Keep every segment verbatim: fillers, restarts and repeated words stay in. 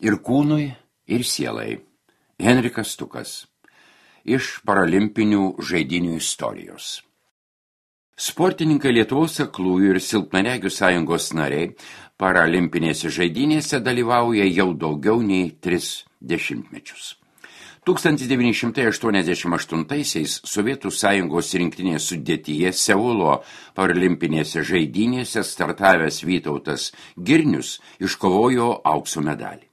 ir kūnui, ir sielai. Henrikas Stukas iš paralimpinių žaidynių istorijos. Sportininkai Lietuvos aklųjų ir silpnaregių sąjungos nariai paralimpinėse žaidynėse dalyvauja jau daugiau nei tris dešimtmečius. tūkstantis devyni šimtai aštuoniasdešimt aštuntaisiais Sovietų sąjungos rinktinės sudėtyje Seulo paralimpinėse žaidynėse startavęs Vytautas Girnius iškovojo aukso medalį.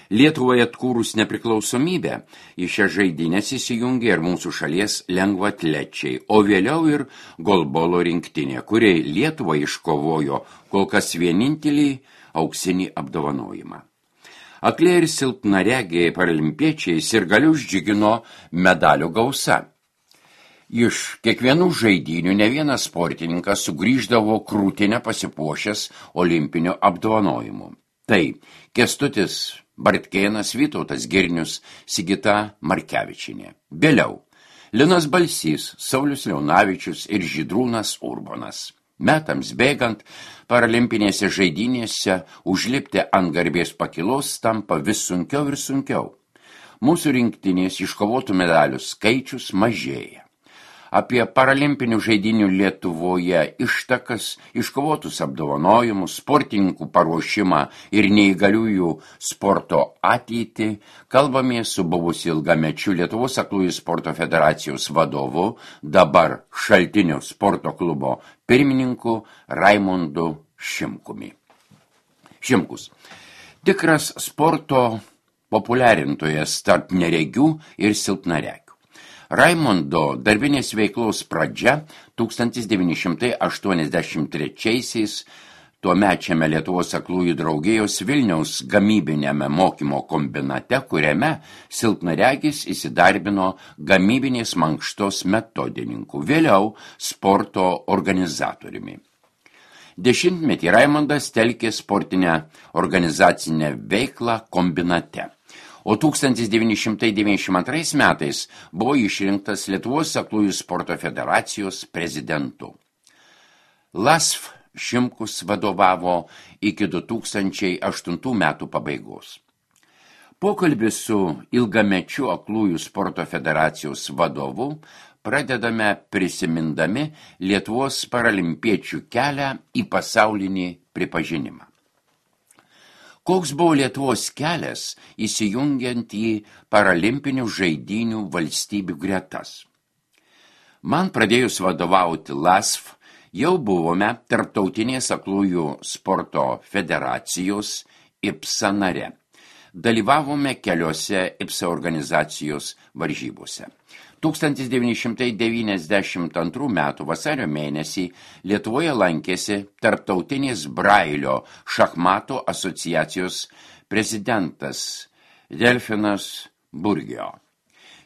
Lietuvai atkūrus nepriklausomybę, į šią žaidynės įsijungė ir mūsų šalies lengvaatlečiai, o vėliau ir golbolo rinktinė, kuriai Lietuvai iškovojo kol kas vienintelį auksinį apdovanojimą. Akliai ir silpnaregiai paralimpiečiai sirgalius džiugino medalių gausa. Iš kiekvienų žaidynių ne vienas sportininkas sugrįždavo krūtinę pasipuošęs olimpinio apdovanojimu. Tai Kęstutis Bartkėnas, Vytautas Girnius, Sigita Markevičienė. Vėliau Linas Balsys, Saulius Leonavičius ir Žydrūnas Urbonas. Metams bėgant, paralimpinėse žaidynėse užlipti ant garbės pakilos tampa vis sunkiau ir sunkiau. Mūsų rinktinės iškovotų medalių skaičius mažėja. Apie paralimpinių žaidynių Lietuvoje ištakas, iškovotus apdovanojimus, sportininkų paruošimą ir neįgaliųjų sporto ateitį kalbamės su buvusiu ilgamečiu Lietuvos aklųjų sporto federacijos vadovu, dabar Šaltinio sporto klubo pirmininku Raimondu Šimkumi. Šimkus. Tikras sporto populiarintojas tarp neregių ir silpnaregių. Raimondo darbinės veiklos pradžia tūkstantis devyni šimtai aštuoniasdešimt trečiaisiais tuomečiame Lietuvos aklųjų draugijos Vilniaus gamybinėme mokymo kombinate, kuriame silpnaregis įsidarbino gamybinės mankštos metodininku, vėliau sporto organizatoriumi. Dešimtmetį Raimondas telkė sportinę organizacinę veiklą kombinate. O tūkstantis devyni šimtai devyniasdešimt antrais metais buvo išrinktas Lietuvos aklųjų sporto federacijos prezidentu. LASF Šimkus vadovavo iki du tūkstančiai aštuntų metų pabaigos. Pokalbį su ilgamečiu aklųjų sporto federacijos vadovu pradedame prisimindami Lietuvos paralimpiečių kelią į pasaulinį pripažinimą. Koks buvo Lietuvos kelias įsijungiant į paralimpinių žaidynių valstybių gretas? Man pradėjus vadovauti LASF, jau buvome Tarptautinės aklųjų sporto federacijos I P S A nare. Dalyvavome keliose I P S A organizacijos varžybose. tūkstantis devyni šimtai devyniasdešimt antrų metų vasario mėnesį Lietuvoje lankėsi Tarptautinės Brailio šachmatų asociacijos prezidentas Delfinas Burgio.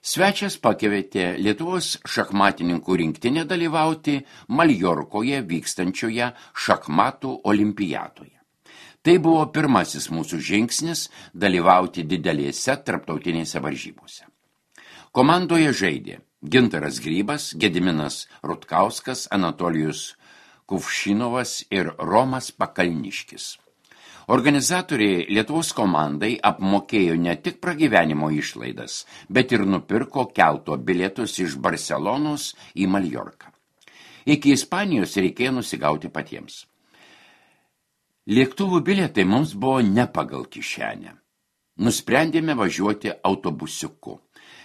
Svečias pakvietė Lietuvos šachmatininkų rinktinę dalyvauti Maljorkoje vykstančioje šachmatų olimpiadoje. Tai buvo pirmasis mūsų žingsnis dalyvauti didelėse tarptautinėse varžybose. Komandoje žaidė Gintaras Grybas, Gediminas Rutkauskas, Anatolijus Kuvšinovas ir Romas Pakalniškis. Organizatoriai Lietuvos komandai apmokėjo ne tik pragyvenimo išlaidas, bet ir nupirko kelto bilietus iš Barselonos į Maljorką. Iki Ispanijos reikėjo nusigauti patiems. Lėktuvų bilietai mums buvo ne pagal kišenę. Nusprendėme važiuoti autobusiuku.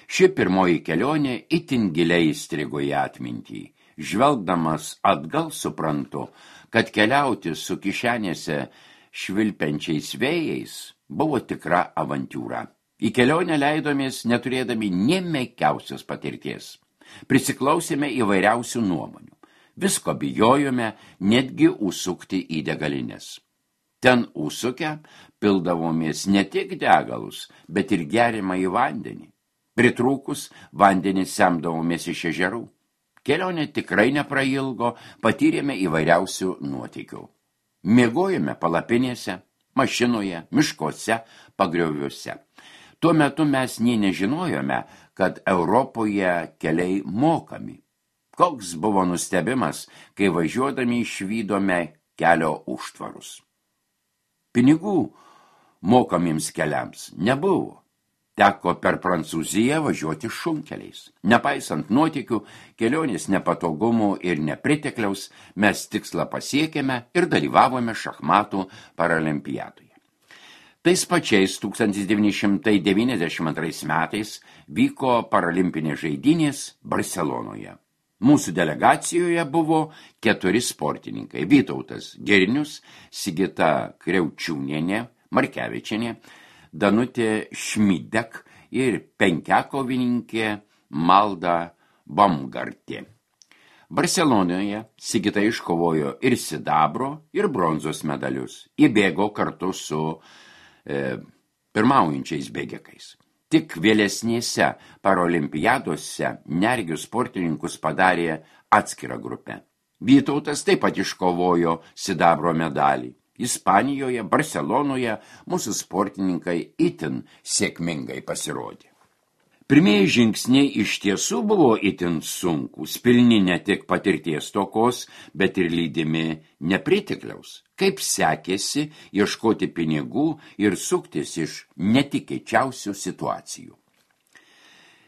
Ši pirmoji kelionė itin giliai įstrigo į atmintį. Žvelgdamas atgal suprantu, kad keliauti su kišenėse švilpenčiais vėjais buvo tikra avantiūra. Į kelionę leidomės neturėdami nė menkiausios patirties. Prisiklausėme įvairiausių nuomonių. Visko bijojome netgi užsukti į degalinės. Ten užsukę pildavomės ne tik degalus, bet ir geriamą į vandenį. Pritrūkus vandenį semdavomės iš ežerų. Kelionė tikrai neprailgo, patyrėme įvairiausių nuotykių. Miegojome palapinėse, mašinoje, miškuose, pagrioviuose. Tuo metu mes nė nežinojome, kad Europoje keliai mokami. Koks buvo nustebimas, kai važiuodami išvydome kelio užtvarus. Pinigų mokamiems keliams nebuvo. Teko per Prancūziją važiuoti šunkeliais. Nepaisant nuotykių, kelionės nepatogumų ir nepritekliaus, mes tikslą pasiekėme ir dalyvavome šachmatų paralimpiadoje. Tais pačiais tūkstantis devyni šimtai devyniasdešimt antrais metais vyko paralimpinės žaidynės Barselonoje. Mūsų delegacijoje buvo keturi sportininkai – Vytautas Girnius, Sigita Kriaučiūnienė, Markevičienė, Danutė Šmidek ir penkiakovininkė Malda Baumgartė. Barselonoje Sigita iškovojo ir sidabro, ir bronzos medalius. Įbėgo kartu su e, pirmaujančiais bėgikais. Tik vėlesnėse paralimpiadose nergių sportininkus padarė atskirą grupę. Vytautas taip pat iškovojo sidabro medalį. Ispanijoje, Barselonoje mūsų sportininkai itin sėkmingai pasirodė. Pirmieji žingsniai iš tiesų buvo itin sunkūs, pilni ne tik patirties stokos, bet ir lydimi nepritekliaus. Kaip sekėsi ieškoti pinigų ir suktis iš netikėčiausių situacijų.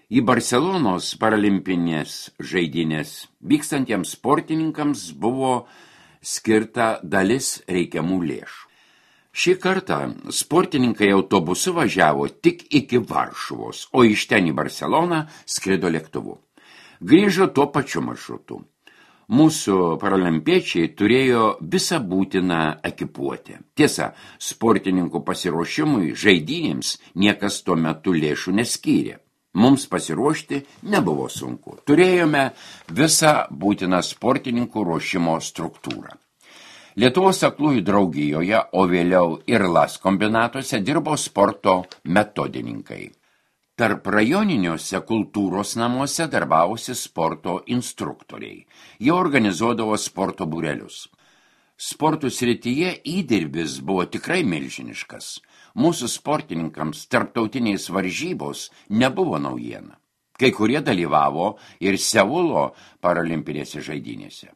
Į Barselonos paralimpinės žaidynės vykstantiems sportininkams buvo skirta dalis reikiamų lėšų. Šį kartą sportininkai autobusu važiavo tik iki Varšuvos, o iš ten į Barseloną skrido lėktuvu. Grįžo tuo pačiu maršrutu. Mūsų paralimpiečiai turėjo visą būtiną ekipuotę. Tiesa, sportininkų pasiruošimui žaidynėms niekas tuo metu lėšų neskyrė. Mums pasiruošti nebuvo sunku. Turėjome visą būtiną sportininkų ruošimo struktūrą. Lietuvos aklųjų draugijoje, o vėliau ir Las kombinatuose dirbo sporto metodininkai. Tarp rajoniniuose kultūros namuose darbavosi sporto instruktoriai. Jie organizuodavo sporto būrelius. Sportų srityje įdirbis buvo tikrai milžiniškas. Mūsų sportininkams tarptautinės varžybos nebuvo naujiena. Kai kurie dalyvavo ir Seulo paralimpinėse žaidynėse.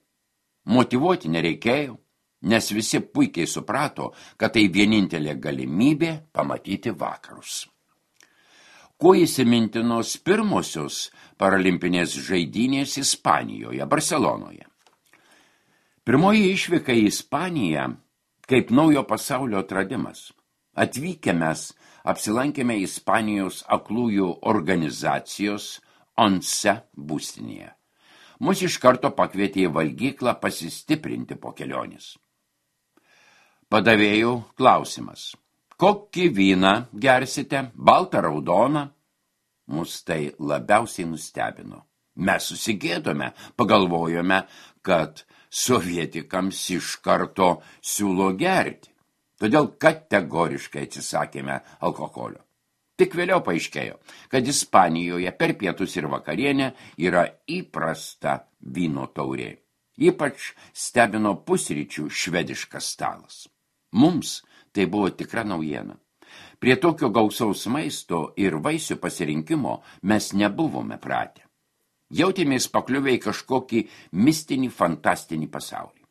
Motyvuoti nereikėjo, nes visi puikiai suprato, kad tai vienintelė galimybė pamatyti vakarus. Kuo įsimintinos pirmosios paralimpinės žaidynės Ispanijoje, Barselonoje. Pirmoji išvyka į Ispaniją kaip naujo pasaulio atradimas. Atvykę mes apsilankėme Ispanijos aklųjų organizacijos ONCE būstinėje. Mus iš karto pakvietė į valgyklą pasistiprinti po kelionės. Padavėjų klausimas. Kokį vyną gersite, baltą, raudoną? Mus tai labiausiai nustebino. Mes susigėdome, pagalvojome, kad sovietikams iš karto siūlo gerti. Todėl kategoriškai atsisakėme alkoholio. Tik vėliau paaiškėjo, kad Ispanijoje per pietus ir vakarienę yra įprasta vyno taurė. Ypač stebino pusryčių švediškas stalas. Mums tai buvo tikra naujiena. Prie tokio gausaus maisto ir vaisių pasirinkimo mes nebuvome pratę. Jautėmės pakliuvę į kažkokį mistinį, fantastinį pasaulį.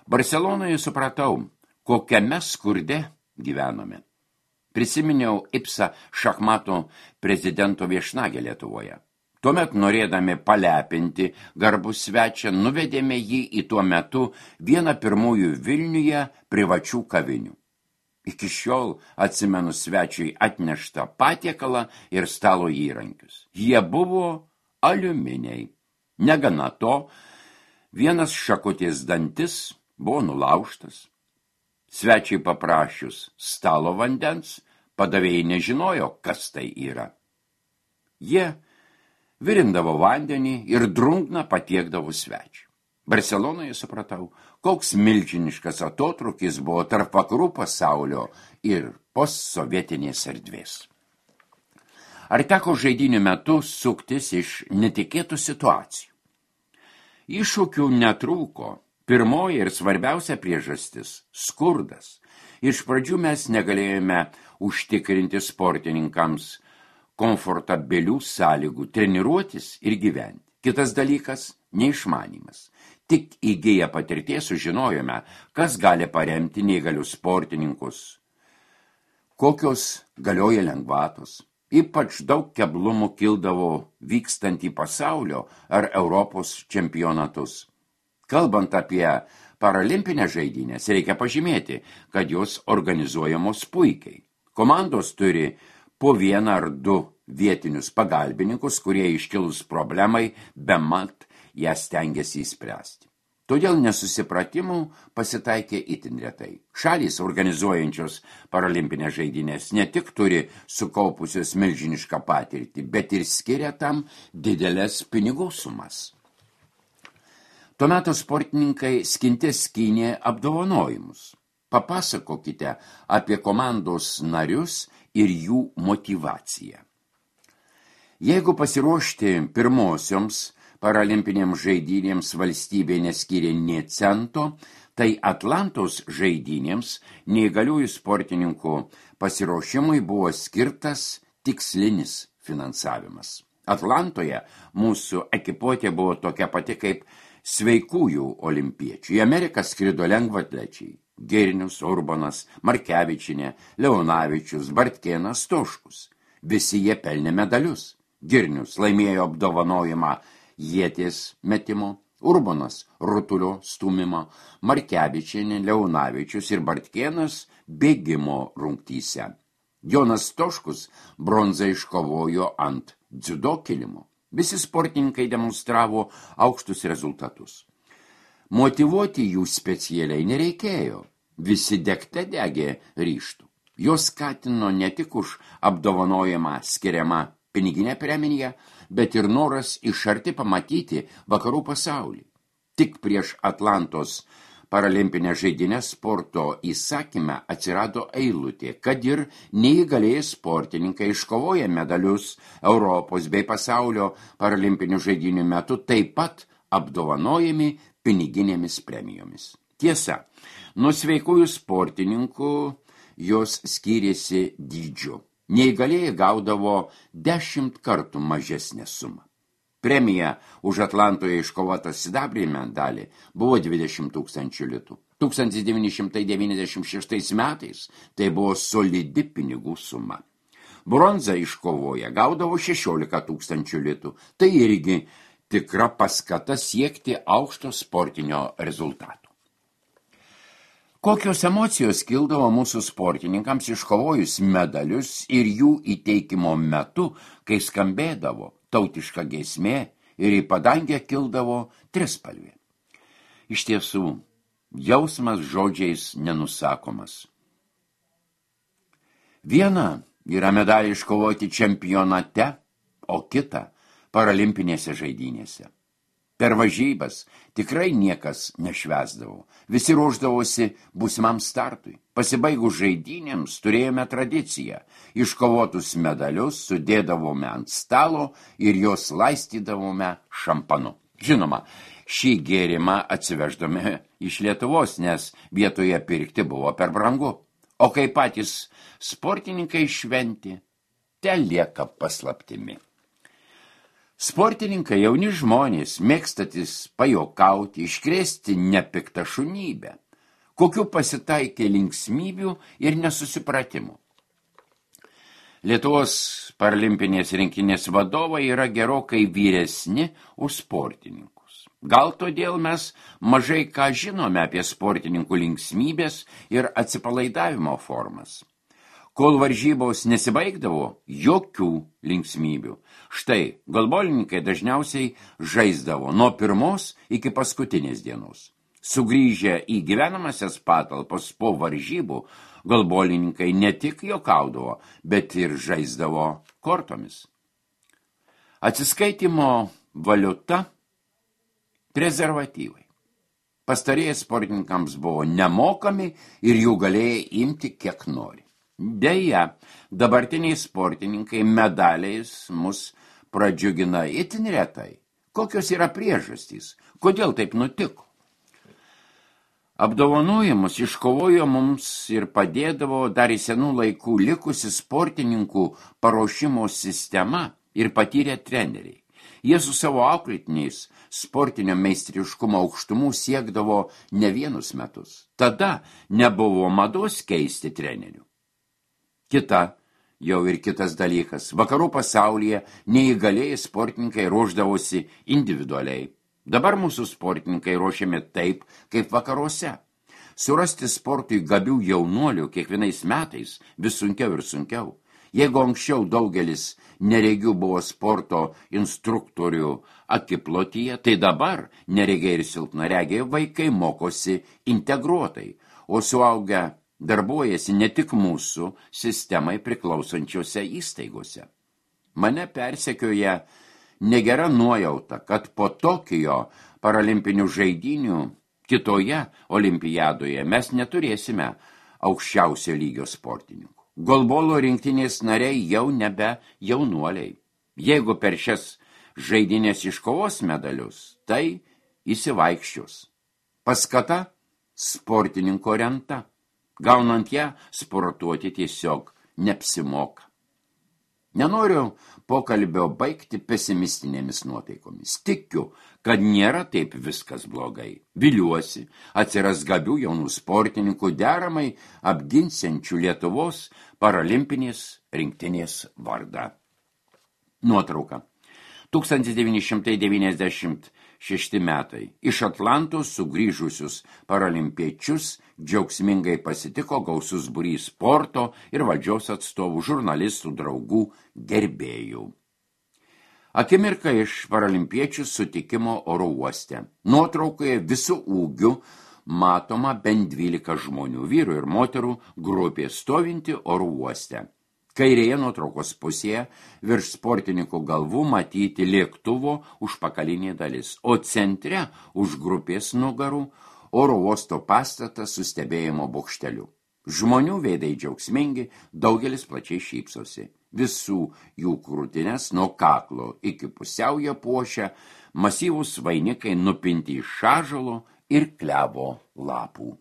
Barselonoje supratau, kokiame skurde gyvenome. Prisiminiau Ipsa šachmatų prezidento viešnagę Lietuvoje. Tuomet, norėdami palepinti garbų svečią, nuvedėme jį į tuo metu vieną pirmųjų Vilniuje privačių kavinių. Iki šiol atsimenu svečiui atneštą patiekalą ir stalo įrankius. Jie buvo aliuminiai. Negana to, vienas šakutės dantis buvo nulaužtas. Svečiai paprašius stalo vandens, padavėjai nežinojo, kas tai yra. Jie virindavo vandenį ir drungną patiekdavo svečiui. Barselonoje supratau, koks milžiniškas atotrūkis buvo tarp vakarų pasaulio ir postsovietinės erdvės. Ar teko žaidynių metu suktis iš netikėtų situacijų? Iššūkių netrūko. Pirmoji ir svarbiausia priežastis – skurdas. Iš pradžių mes negalėjome užtikrinti sportininkams komfortabilių sąlygų treniruotis ir gyventi. Kitas dalykas – neišmanymas. Tik įgiję patirties sužinojome, kas gali paremti neįgalius sportininkus, kokios galioja lengvatos. Ypač daug keblumų kildavo vykstant į pasaulio ar Europos čempionatus. Kalbant apie paralimpinės žaidynės, reikia pažymėti, kad jos organizuojamos puikiai. Komandos turi po vieną ar du vietinius pagalbininkus, kurie iškilus problemai bemat ją stengiasi įspręsti. Todėl nesusipratimų pasitaikė itin retai. Šalys organizuojančios paralimpinės žaidynės ne tik turi sukaupusios milžinišką patirtį, bet ir skiria tam didelės pinigų sumas. Tuo metu sportininkai skinte skynė apdovanojimus. Papasakokite apie komandos narius ir jų motyvaciją. Jeigu pasiruošti pirmosioms paralimpinėms žaidynėms valstybė neskyrė nė cento, tai Atlantos žaidynėms neįgaliųjų sportininkų pasiruošimui buvo skirtas tikslinis finansavimas. Atlantoje mūsų ekipuotė buvo tokia pati kaip sveikųjų olimpiečių. Į Ameriką skrido lengvatlečiai – Girnius, Urbonas, Markevičinė, Leonavičius, Bartkėnas, Stoškus. Visi jie pelnė medalius. Girnius laimėjo apdovanojimą ieties metimo, Urbonas rutulio stūmimo, Markevičinė, Leonavičius ir Bartkėnas bėgimo rungtyse. Jonas Stoškus bronzą iškovojo ant dziudo kilimo. Visi sportininkai demonstravo aukštus rezultatus. Motyvuoti jų specialiai nereikėjo. Visi degte degė ryžtų. Jos skatino ne tik už apdovanojimą skiriamą piniginę premiją, bet ir noras iš arti pamatyti vakarų pasaulį. Tik prieš Atlantos paralimpinę žaidynę sporto įsakyme atsirado eilutė, kad ir neįgalėjai sportininkai iškovoję medalius Europos bei pasaulio paralimpinių žaidynių metu taip pat apdovanojami piniginėmis premijomis. Tiesa, nuo sveikųjų sportininkų jos skyrėsi dydžiu. Neįgalėjai gaudavo dešimt kartų mažesnę sumą. Premija už Atlantoje iškovotą sidabrinį medalį buvo dvidešimt tūkstančių litų. tūkstantis devyni šimtai devyniasdešimt šeštais metais tai buvo solidi pinigų suma. Bronzą iškovoję gaudavo šešiolika tūkstančių litų. Tai irgi tikra paskata siekti aukšto sportinio rezultato. Kokios emocijos kildavo mūsų sportininkams iškovojus medalius ir jų įteikimo metu, kai skambėdavo tautiška giesmė ir į padangę kildavo trispalvė. Iš tiesų, jausmas žodžiais nenusakomas. Viena yra medalį iškovoti čempionate, o kita paralimpinėse žaidynėse. Per varžybas tikrai niekas nešvęsdavo. Visi ruošdavosi būsimam startui. Pasibaigus žaidynėms turėjome tradiciją. Iškovotus medalius sudėdavome ant stalo ir juos laistydavome šampanu. Žinoma, šį gėrimą atsiveždome iš Lietuvos, nes vietoje pirkti buvo per brangu. O kai patys sportininkai šventi, te lieka paslaptimi. Sportininkai jauni žmonės, mėgstatis pajokauti, iškrėsti nepiktą šunybę, kokių pasitaikė linksmybių ir nesusipratimų. Lietuvos paralimpinės rinkinės vadovai yra gerokai vyresni už sportininkus. Gal todėl mes mažai ką žinome apie sportininkų linksmybės ir atsipalaidavimo formas. Kol varžybos nesibaigdavo, jokių linksmybių. Štai, golbolininkai dažniausiai žaisdavo nuo pirmos iki paskutinės dienos. Sugrįžę į gyvenamasias patalpas po varžybų, golbolininkai ne tik juokaudavo, bet ir žaisdavo kortomis. Atsiskaitimo valiuta – prezervatyvai. Pastarieji sportininkams buvo nemokami ir jų galėjo imti kiek nori. Deja, dabartiniai sportininkai medaliais mus pradžiugina itin retai. Kokios yra priežastys? Kodėl taip nutiko? Apdovanojimus iškovojo mums ir padėdavo dar į senų laikų likusi sportininkų paruošimo sistema ir patyrę treneriai. Jie su savo auklėtiniais sportinio meistriškumo aukštumų siekdavo ne vienus metus. Tada nebuvo mados keisti trenerių. Kita, jau ir kitas dalykas, vakarų pasaulyje neįgalėjai sportininkai ruošdavosi individualiai. Dabar mūsų sportininkai ruošiami taip, kaip vakaruose. Surasti sportui gabių jaunuolių kiekvienais metais vis sunkiau ir sunkiau. Jeigu anksčiau daugelis neregių buvo sporto instruktorių akiplotyje, tai dabar neregiai ir silpnaregiai vaikai mokosi integruotai, o suaugę darbuojasi ne tik mūsų sistemai priklausančiose įstaigose. Mane persekioja negera nuojauta, kad po Tokijo paralimpinių žaidynių kitoje olimpiadoje mes neturėsime aukščiausio lygio sportininkų. Golbolo rinktinės nariai jau nebe jaunuoliai. Jeigu per šias žaidynės iškovos medalius, tai įsivaikščios. Paskata sportininko renta. Gaunant ją, sportuoti tiesiog neapsimoka. Nenoriu pokalbio baigti pesimistinėmis nuotaikomis. Tikiu, kad nėra taip viskas blogai. Viliuosi, atsiras gabių jaunų sportininkų deramai apginsiančių Lietuvos paralimpinės rinktinės vardą. Nuotrauka. tūkstantis devyni šimtai devyniasdešimt šešti metai. Iš Atlantos sugrįžusius paralimpiečius džiaugsmingai pasitiko gausus būrys sporto ir valdžios atstovų, žurnalistų, draugų, gerbėjų. Akimirka iš paralimpiečių sutikimo oro uoste. Nuotraukoje visų ūgių matoma bent dvylika žmonių, vyrų ir moterų grupė stovinti oro uoste. Kairėje nuotraukos pusėje virš sportininkų galvų matyti lėktuvo užpakalinė dalis, o centre už grupės nugarų oro uosto pastatas su stebėjimo bokšteliu. Žmonių veidai džiaugsmingi, daugelis plačiai šypsosi. Visų jų krūtinės nuo kaklo iki pusiaujo puošia masyvūs vainikai nupinti iš ąžuolo ir klevo lapų.